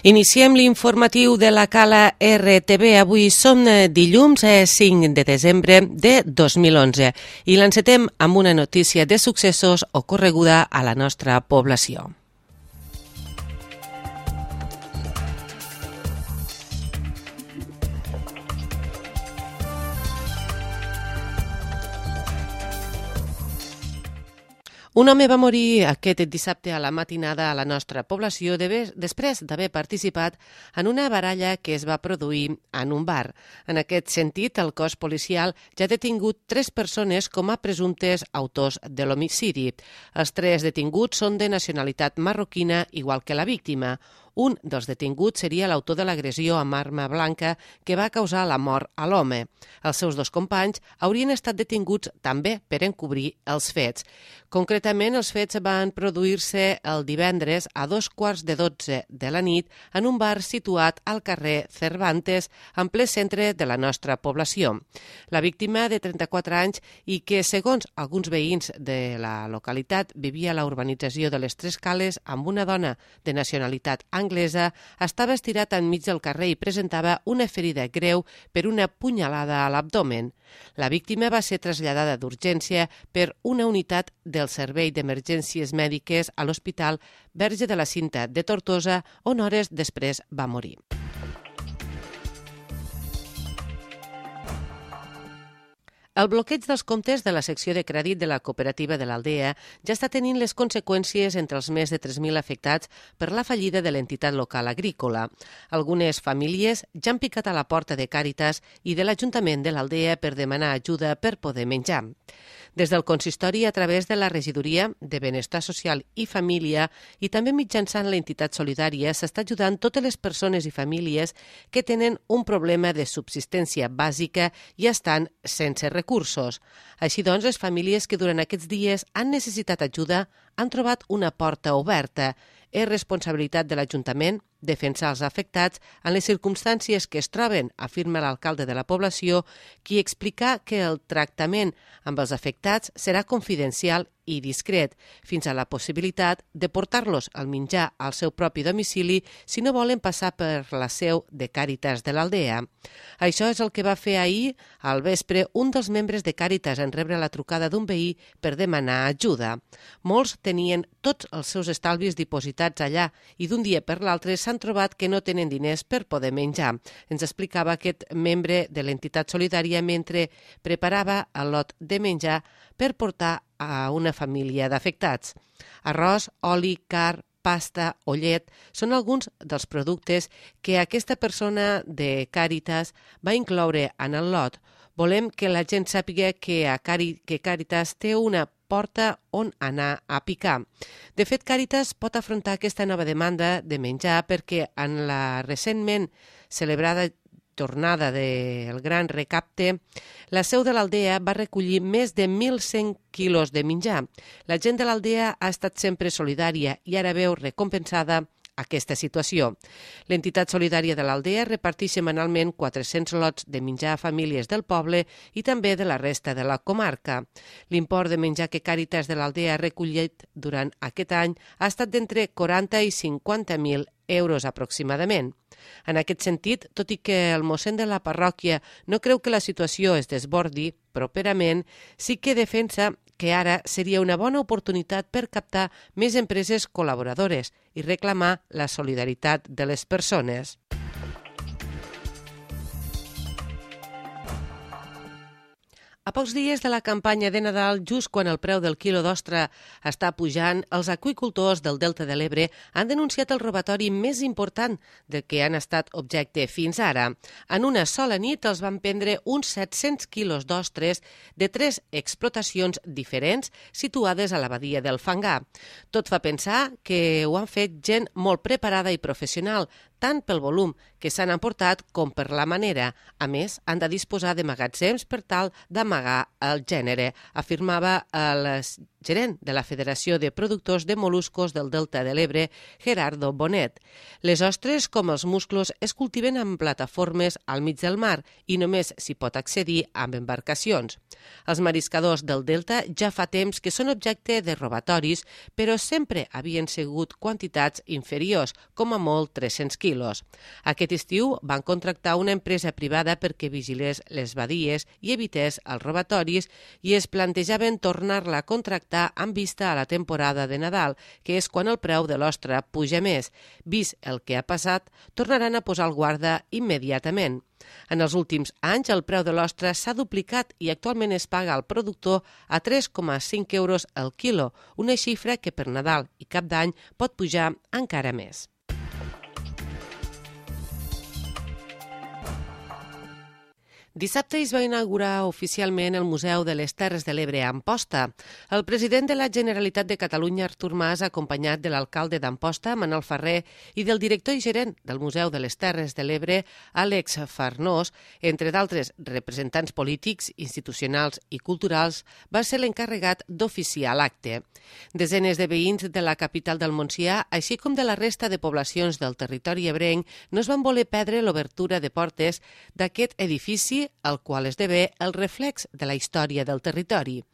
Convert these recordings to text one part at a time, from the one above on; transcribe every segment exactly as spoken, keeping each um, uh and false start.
Iniciem l'informatiu de la Cala R T B. Avui som dilluns cinc de desembre de dos mil onze i l'encetem amb una notícia de successos ocorreguda a la nostra població. Un home va morir aquest dissabte a la matinada a la nostra població després d'haver participat en una baralla que es va produir en un bar. En aquest sentit, el cos policial ja ha detingut tres persones com a presumptes autors de l'homicidi. Els tres detinguts són de nacionalitat marroquina, igual que la víctima. Un dels detinguts seria l'autor de l'agressió amb arma blanca que va causar la mort a l'home. Els seus dos companys haurien estat detinguts també per encobrir els fets. Concretament, els fets van produir-se el divendres a dos quarts de dotze de la nit en un bar situat al carrer Cervantes, en ple centre de la nostra població. La víctima, de trenta-quatre anys i que, segons alguns veïns de la localitat, vivia a la urbanització de les Tres Cales amb una dona de nacionalitat anglesa, estava estirat enmig del carrer i presentava una ferida greu per una punyalada a l'abdomen. La víctima va ser traslladada d'urgència per una unitat del Servei d'Emergències Mèdiques a l'Hospital Verge de la Cinta de Tortosa, on hores després va morir. El bloqueig dels comptes de la secció de crèdit de la cooperativa de l'Aldea ja està tenint les conseqüències entre els més de tres mil afectats per la fallida de l'entitat local agrícola. Algunes famílies ja han picat a la porta de Càritas i de l'Ajuntament de l'Aldea per demanar ajuda per poder menjar. Des del consistori, a través de la Regidoria de Benestar Social i Família i també mitjançant l'entitat solidària, s'està ajudant totes les persones i famílies que tenen un problema de subsistència bàsica i estan sense recursos. Així doncs, les famílies que durant aquests dies han necessitat ajuda han trobat una porta oberta. És responsabilitat de l'Ajuntament defensar els afectats en les circumstàncies que es troben, afirma l'alcalde de la població, qui explica que el tractament amb els afectats serà confidencial i discret, fins a la possibilitat de portar-los al menjar al seu propi domicili si no volen passar per la seu de Càritas de l'Aldea. Això és el que va fer ahir, al vespre, un dels membres de Càritas en rebre la trucada d'un veí per demanar ajuda. Molts tenien tots els seus estalvis dipositats allà i d'un dia per l'altre s'han trobat que no tenen diners per poder menjar. Ens explicava aquest membre de l'entitat solidària mentre preparava el lot de menjar per portar a una família d'afectats. Arròs, oli, carn, pasta o llet són alguns dels productes que aquesta persona de Càritas va incloure en el lot. Volem que la gent sàpiga que, a Cari, que Càritas té una porta on anar a picar. De fet, Càritas pot afrontar aquesta nova demanda de menjar perquè en la recentment celebrada tornada del Gran Recapte, la seu de l'Aldea va recollir més de mil cent quilos de menjar. La gent de l'Aldea ha estat sempre solidària i ara veu recompensada aquesta situació. L'entitat solidària de l'Aldea reparteix setmanalment quatre-cents lots de menjar a famílies del poble i també de la resta de la comarca. L'import de menjar que Càritas de l'Aldea ha recollit durant aquest any ha estat d'entre quaranta i cinquanta mil euros aproximadament. En aquest sentit, tot i que el mossèn de la parròquia no creu que la situació es desbordi properament, sí que defensa que ara seria una bona oportunitat per captar més empreses col·laboradores i reclamar la solidaritat de les persones. A pocs dies de la campanya de Nadal, just quan el preu del quilo d'ostra està pujant, els aqüicultors del Delta de l'Ebre han denunciat el robatori més important de què han estat objecte fins ara. En una sola nit els van prendre uns set-cents quilos d'ostres de tres explotacions diferents situades a la badia del Fangar. Tot fa pensar que ho han fet gent molt preparada i professional, tant pel volum que s'han emportat com per la manera. A més, han de disposar de magatzems per tal d'amagar el gènere, afirmava el gerent de la Federació de Productors de Moluscos del Delta de l'Ebre, Gerardo Bonet. Les ostres, com els musclos, es cultiven en plataformes al mig del mar i només s'hi pot accedir amb embarcacions. Els mariscadors del Delta ja fa temps que són objecte de robatoris, però sempre havien sigut quantitats inferiors, com a molt tres-cents quilos. quilos. Aquest estiu van contractar una empresa privada perquè vigilés les badies i evités els robatoris i es plantejaven tornar-la a contractar amb vista a la temporada de Nadal, que és quan el preu de l'ostra puja més. Vist el que ha passat, tornaran a posar el guarda immediatament. En els últims anys, el preu de l'ostra s'ha duplicat i actualment es paga al productor a tres coma cinc euros el quilo, una xifra que per Nadal i Cap d'Any pot pujar encara més. Dissabte es va inaugurar oficialment el Museu de les Terres de l'Ebre a Amposta. El president de la Generalitat de Catalunya, Artur Mas, acompanyat de l'alcalde d'Amposta, Manel Ferrer, i del director i gerent del Museu de les Terres de l'Ebre, Àlex Farnós, entre d'altres representants polítics, institucionals i culturals, va ser l'encarregat d'oficiar l'acte. Desenes de veïns de la capital del Montsià, així com de la resta de poblacions del territori ebrenc, no es van voler perdre l'obertura de portes d'aquest edifici el qual esdevé el reflex de la història del territori.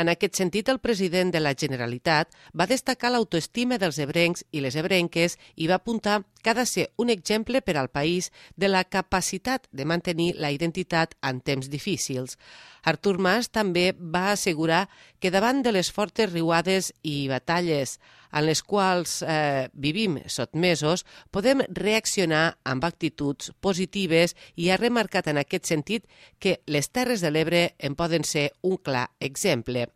En aquest sentit, el president de la Generalitat va destacar l'autoestima dels ebrencs i les ebrenques i va apuntar que ha de ser un exemple per al país de la capacitat de mantenir la identitat en temps difícils. Artur Mas també va assegurar que davant de les fortes riuades i batalles en les quals eh, vivim sotmesos, podem reaccionar amb actituds positives i ha remarcat en aquest sentit que les Terres de l'Ebre en poden ser un clar exemple.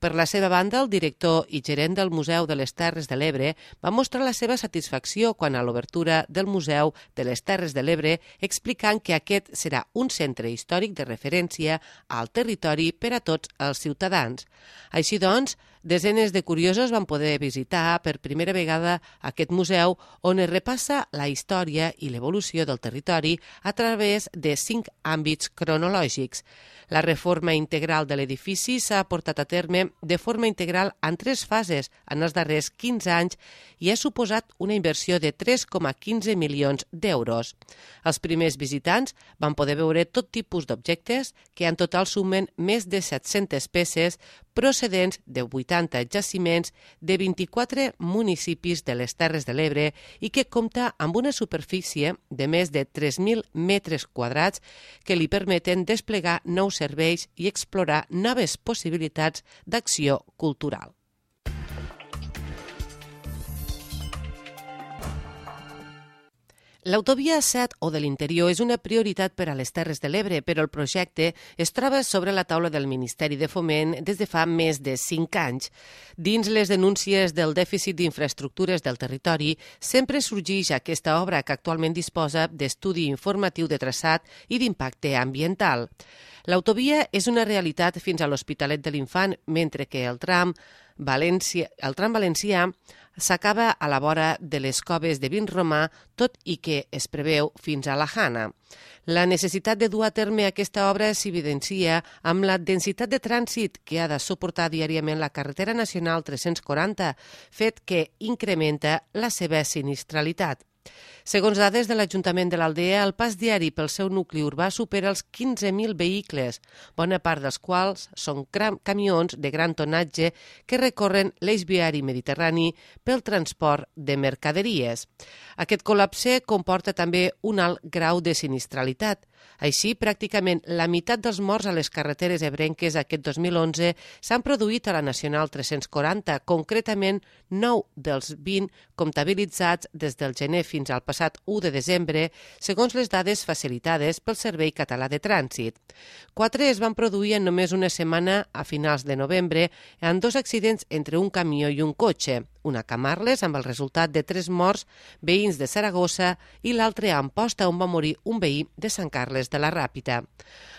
Per la seva banda, el director i gerent del Museu de les Terres de l'Ebre va mostrar la seva satisfacció quan a l'obertura del Museu de les Terres de l'Ebre, explicant que aquest serà un centre històric de referència al territori per a tots els ciutadans. Així doncs, desenes de curiosos van poder visitar per primera vegada aquest museu on es repassa la història i l'evolució del territori a través de cinc àmbits cronològics. La reforma integral de l'edifici s'ha portat a terme de forma integral en tres fases en els darrers quinze anys i ha suposat una inversió de tres coma quinze milions d'euros. Els primers visitants van poder veure tot tipus d'objectes que en total sumen més de set-centes peces procedents de vuitanta jaciments de vint-i-quatre municipis de les Terres de l'Ebre i que compta amb una superfície de més de tres mil metres quadrats que li permeten desplegar nous serveis i explorar noves possibilitats d'acció cultural. L'autovia set o de l'interior és una prioritat per a les Terres de l'Ebre, però el projecte es troba sobre la taula del Ministeri de Foment des de fa més de cinc anys. Dins les denúncies del dèficit d'infraestructures del territori, sempre sorgeix aquesta obra que actualment disposa d'estudi informatiu de traçat i d'impacte ambiental. L'autovia és una realitat fins a l'Hospitalet de l'Infant, mentre que el tram València, el tram valencià s'acaba a la vora de les coves de Vinromà, tot i que es preveu fins a la Jana. La necessitat de dur a terme aquesta obra s'evidencia amb la densitat de trànsit que ha de suportar diàriament la carretera nacional tres-cents quaranta, fet que incrementa la seva sinistralitat. Segons dades de l'Ajuntament de l'Aldea, el pas diari pel seu nucli urbà supera els quinze mil vehicles, bona part dels quals són camions de gran tonatge que recorren l'eix viari mediterrani pel transport de mercaderies. Aquest col·lapse comporta també un alt grau de sinistralitat. Així, pràcticament la meitat dels morts a les carreteres ebrenques aquest dos mil onze s'han produït a la Nacional tres-cents quaranta, concretament nou dels vint comptabilitzats des del gener fins al passat u de desembre, segons les dades facilitades pel Servei Català de Trànsit. Quatre es van produir en només una setmana a finals de novembre en dos accidents entre un camió i un cotxe, una a Camarles amb el resultat de tres morts veïns de Saragossa i l'altre a Amposta on va morir un veí de Sant Carles de la Ràpita.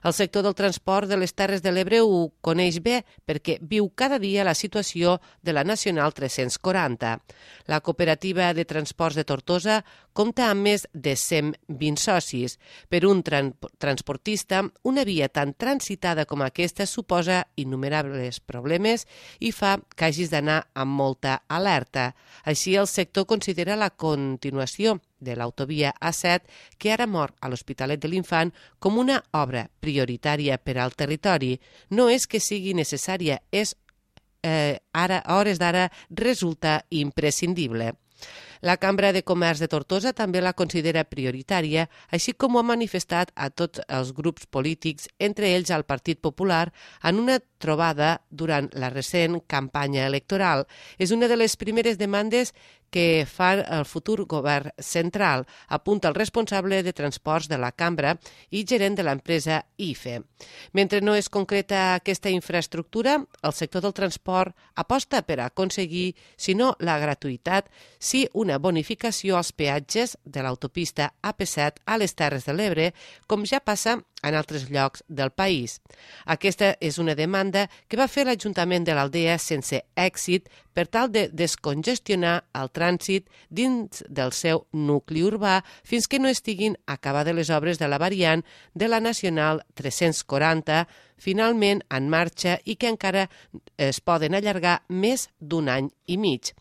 El sector del transport de les Terres de l'Ebre ho coneix bé perquè viu cada dia la situació de la Nacional tres-cents quaranta. La cooperativa de transports de Tortosa compta amb més de cent vint socis. Per un tran transportista, una via tan transitada com aquesta suposa innumerables problemes i fa que hagis d'anar amb molta alerta. Així, el sector considera la continuació de l'autovia A set, que ara mor a l'Hospitalet de l'Infant, com una obra prioritària per al territori. No és que sigui necessària, és eh, ara, a hores d'ara resulta imprescindible. La Cambra de Comerç de Tortosa també la considera prioritària, així com ho ha manifestat a tots els grups polítics, entre ells al Partit Popular, en una trobada durant la recent campanya electoral. És una de les primeres demandes que fa el futur govern central, apunta el responsable de transports de la Cambra i gerent de l'empresa I F E. Mentre no es concreta aquesta infraestructura, el sector del transport aposta per aconseguir, si no la gratuïtat, sí una bonificació als peatges de l'autopista A P set a les Terres de l'Ebre, com ja passa en altres llocs del país. Aquesta és una demanda que va fer l'Ajuntament de l'Aldea sense èxit per tal de descongestionar el trànsit dins del seu nucli urbà fins que no estiguin acabades les obres de la variant de la Nacional tres-cents quaranta, finalment en marxa i que encara es poden allargar més d'un any i mig.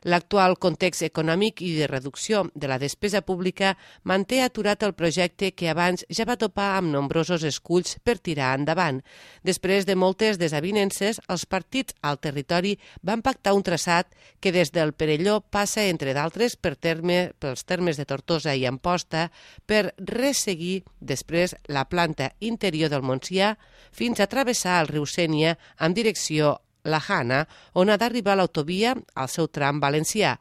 L'actual context econòmic i de reducció de la despesa pública manté aturat el projecte que abans ja va topar amb nombrosos esculls per tirar endavant. Després de moltes desavinences, els partits al territori van pactar un traçat que des del Perelló passa, entre d'altres, per terme, pels termes de Tortosa i Amposta, per resseguir després la planta interior del Montsià fins a travessar el riu Sénia en direcció La Jana, on ha d'arribar l'autovia al seu tram valencià,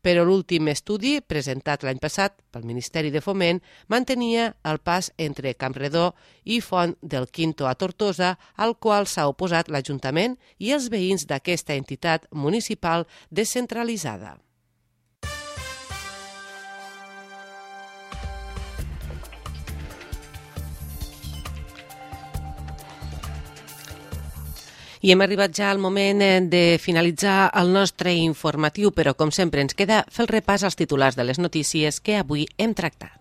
però l'últim estudi, presentat l'any passat pel Ministeri de Foment, mantenia el pas entre Campredó i Font del Quinto a Tortosa, al qual s'ha oposat l'Ajuntament i els veïns d'aquesta entitat municipal descentralitzada. I hem arribat ja al moment de finalitzar el nostre informatiu, però com sempre ens queda fer el repàs als titulars de les notícies que avui hem tractat.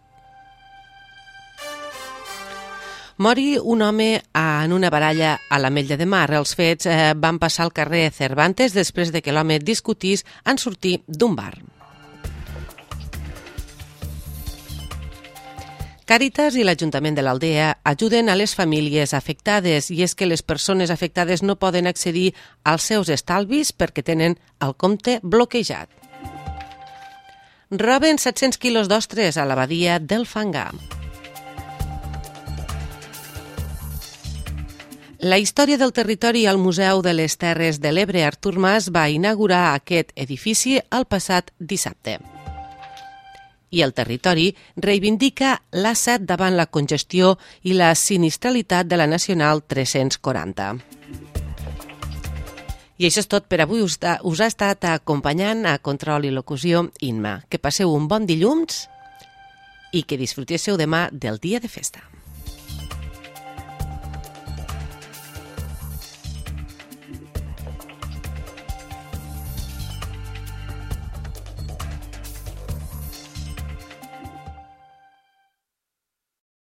Mori un home en una baralla a l'Ametlla de Mar. Els fets van passar al carrer Cervantes després de que l'home discutís en sortir d'un bar. Càritas i l'Ajuntament de l'Aldea ajuden a les famílies afectades i és que les persones afectades no poden accedir als seus estalvis perquè tenen el compte bloquejat. Roben set-cents quilos d'ostres a la badia del Fangar. La història del territori al Museu de les Terres de l'Ebre Artur Mas va inaugurar aquest edifici el passat dissabte. I el territori reivindica l'A set davant la congestió i la sinistralitat de la Nacional tres-cents quaranta. I això és tot per avui. Us ha estat acompanyant a Control i Locució Inma. Que passeu un bon dilluns i que disfrutéssiu demà del dia de festa.